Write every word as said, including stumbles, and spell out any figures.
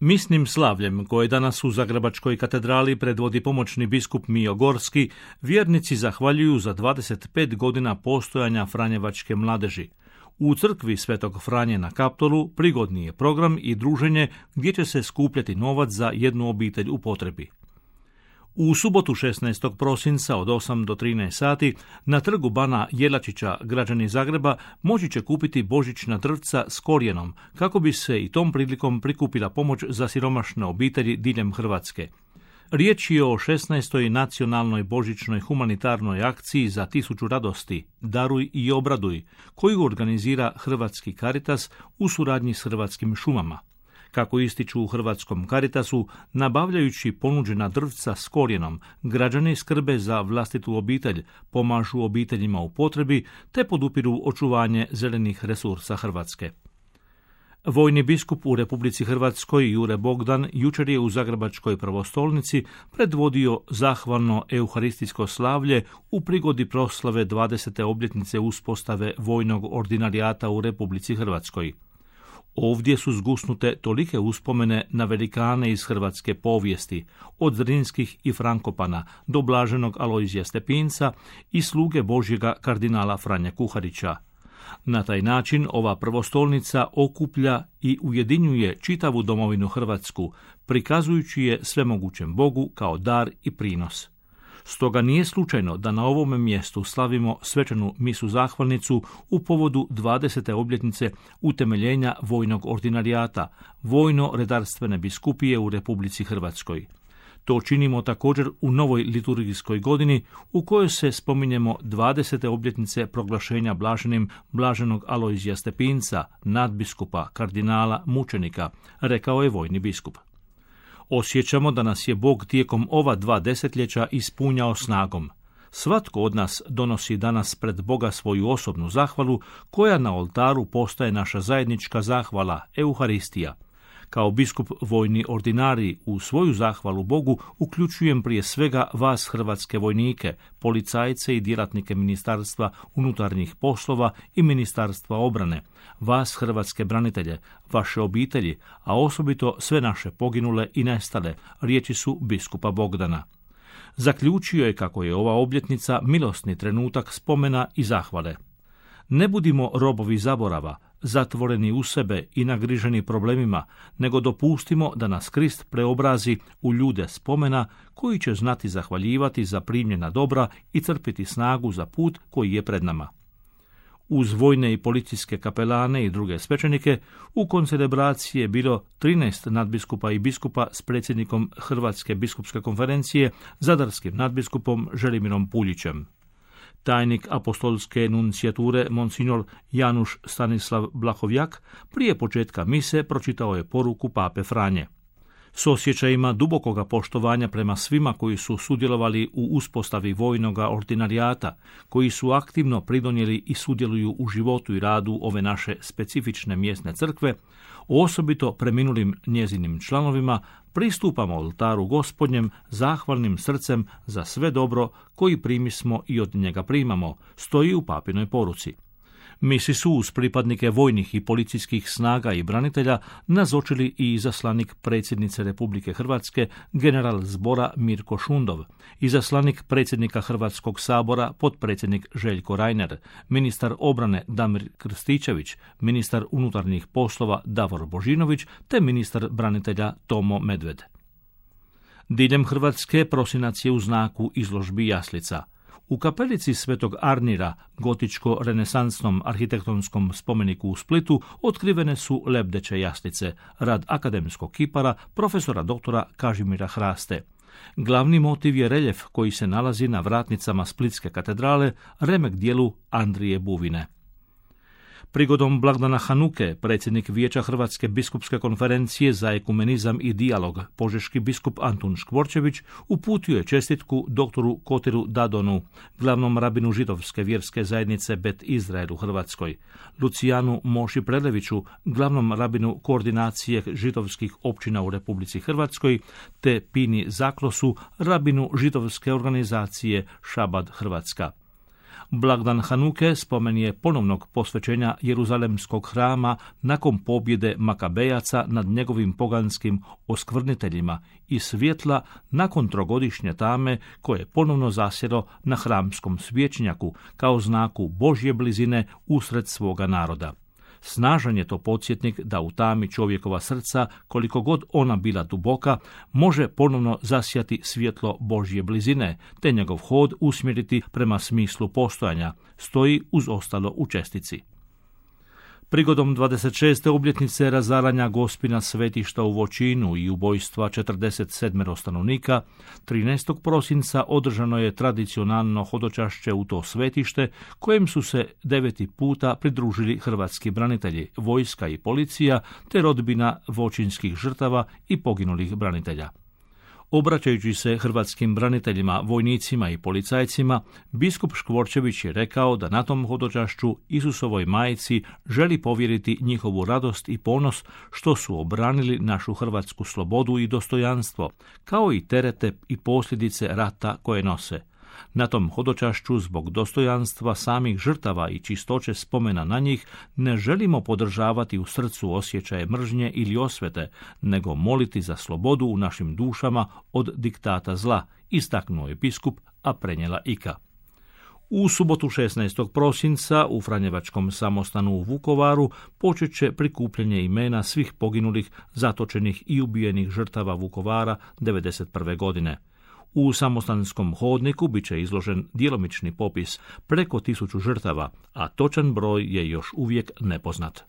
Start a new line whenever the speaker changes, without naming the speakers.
Misnim slavljem, koje danas u Zagrebačkoj katedrali predvodi pomoćni biskup Mijo Gorski, vjernici zahvaljuju za dvadeset pet godina postojanja Franjevačke mladeži. U crkvi Svetog Franje na Kaptolu prigodni je program i druženje gdje će se skupljati novac za jednu obitelj u potrebi. U subotu šesnaestog prosinca od osam do trinaest sati na trgu Bana Jelačića građani Zagreba moći će kupiti božićna drvca s korijenom kako bi se i tom prilikom prikupila pomoć za siromašne obitelji diljem Hrvatske. Riječ je o šesnaestoj nacionalnoj božićnoj humanitarnoj akciji za tisuću radosti, daruj i obraduj, koju organizira Hrvatski Caritas u suradnji s Hrvatskim šumama. Kako ističu u Hrvatskom Caritasu, nabavljajući ponuđena drvca s korijenom, građani skrbe za vlastitu obitelj, pomažu obiteljima u potrebi te podupiru očuvanje zelenih resursa Hrvatske. Vojni biskup u Republici Hrvatskoj Jure Bogdan jučer je u Zagrebačkoj pravostolnici predvodio zahvalno euharistijsko slavlje u prigodi proslave dvadesete obljetnice uspostave vojnog ordinarijata u Republici Hrvatskoj. Ovdje su zgusnute tolike uspomene na velikane iz hrvatske povijesti, od Zrinskih i Frankopana do blaženog Alojzija Stepinca i sluge Božjega kardinala Franje Kuharića. Na taj način ova prvostolnica okuplja i ujedinjuje čitavu domovinu Hrvatsku, prikazujući je svemogućem Bogu kao dar i prinos. Stoga nije slučajno da na ovome mjestu slavimo svečanu misu zahvalnicu u povodu dvadesete obljetnice utemeljenja vojnog ordinarijata, vojno-redarstvene biskupije u Republici Hrvatskoj. To činimo također u novoj liturgijskoj godini u kojoj se spominjemo dvadesete obljetnice proglašenja blaženim blaženog Alojzija Stepinca, nadbiskupa, kardinala, mučenika, rekao je vojni biskup. Osjećamo da nas je Bog tijekom ova dva desetljeća ispunjao snagom. Svatko od nas donosi danas pred Boga svoju osobnu zahvalu, koja na oltaru postaje naša zajednička zahvala, Euharistija. Kao biskup vojni ordinarij u svoju zahvalu Bogu uključujem prije svega vas hrvatske vojnike, policajce i djelatnike Ministarstva unutarnjih poslova i Ministarstva obrane, vas hrvatske branitelje, vaše obitelji, a osobito sve naše poginule i nestale, riječi su biskupa Bogdana. Zaključio je kako je ova obljetnica milosni trenutak spomena i zahvale. Ne budimo robovi zaborava, zatvoreni u sebe i nagriženi problemima, nego dopustimo da nas Krist preobrazi u ljude spomena koji će znati zahvaljivati za primljena dobra i crpiti snagu za put koji je pred nama. Uz vojne i policijske kapelane i druge svećenike, u koncelebraciji je bilo trinaest nadbiskupa i biskupa s predsjednikom Hrvatske biskupske konferencije, zadarskim nadbiskupom Želimirom Puljićem. Tajnik apostolske nuncijature monsignor Januš Stanislav Blahovjak prije početka mise pročitao je poruku pape Franje. S osjećajima dubokoga poštovanja prema svima koji su sudjelovali u uspostavi vojnoga ordinarijata, koji su aktivno pridonijeli i sudjeluju u životu i radu ove naše specifične mjesne crkve, osobito preminulim njezinim članovima, pristupamo oltaru Gospodnjem zahvalnim srcem za sve dobro koji primismo i od njega primamo, stoji u papinoj poruci. Misi su uz pripadnike vojnih i policijskih snaga i branitelja nazočili i izaslanik predsjednice Republike Hrvatske, general zbora Mirko Šundov, izaslanik predsjednika Hrvatskog sabora, potpredsjednik Željko Reiner, ministar obrane Damir Krstičević, ministar unutarnjih poslova Davor Božinović te ministar branitelja Tomo Medved. Diljem Hrvatske prosinac je u znaku izložbi jaslica. U kapelici Svetog Arnira, gotičko-renesansnom arhitektonskom spomeniku u Splitu, otkrivene su lebdeće jaslice, rad akademskog kipara profesora doktora Kažimira Hraste. Glavni motiv je reljef koji se nalazi na vratnicama Splitske katedrale, remek dijelu Andrije Buvine. Prigodom blagdana Hanuke, predsjednik Vijeća Hrvatske biskupske konferencije za ekumenizam i dijalog, požeški biskup Antun Škvorčević, uputio je čestitku doktoru Kotiru Dadonu, glavnom rabinu židovske vjerske zajednice Bet Izrael u Hrvatskoj, Lucijanu Moši Preleviću, glavnom rabinu koordinacije židovskih općina u Republici Hrvatskoj, te Pini Zaklosu, rabinu židovske organizacije Šabad Hrvatska. Blagdan Hanuke spomen je ponovnog posvećenja Jeruzalemskog hrama nakon pobjede Makabejaca nad njegovim poganskim oskvrniteljima i svjetla nakon trogodišnje tame koje je ponovno zasjelo na hramskom svječnjaku kao znaku Božje blizine usred svoga naroda. Snažan je to podsjetnik da u tami čovjekova srca, koliko god ona bila duboka, može ponovno zasjati svjetlo Božje blizine, te njegov hod usmjeriti prema smislu postojanja, stoji uz ostalo u čestici. Prigodom dvadeset šeste obljetnice razaranja Gospina svetišta u Voćinu i ubojstva četrdeset sedam stanovnika, trinaestog prosinca održano je tradicionalno hodočašće u to svetište, kojem su se deveti puta pridružili hrvatski branitelji, vojska i policija, te rodbina voćinskih žrtava i poginulih branitelja. Obraćajući se hrvatskim braniteljima, vojnicima i policajcima, biskup Škvorčević je rekao da na tom hodočašću Isusovoj majci želi povjeriti njihovu radost i ponos što su obranili našu hrvatsku slobodu i dostojanstvo, kao i terete i posljedice rata koje nose. Na tom hodočašću zbog dostojanstva samih žrtava i čistoće spomena na njih ne želimo podržavati u srcu osjećaje mržnje ili osvete, nego moliti za slobodu u našim dušama od diktata zla, istaknuo je biskup, a prenijela Ika. U subotu šesnaestog prosinca u Franjevačkom samostanu u Vukovaru počet će prikupljanje imena svih poginulih, zatočenih i ubijenih žrtava Vukovara devedeset prve godine. U samostanskom hodniku bit će izložen djelomični popis preko tisuću žrtava, a točan broj je još uvijek nepoznat.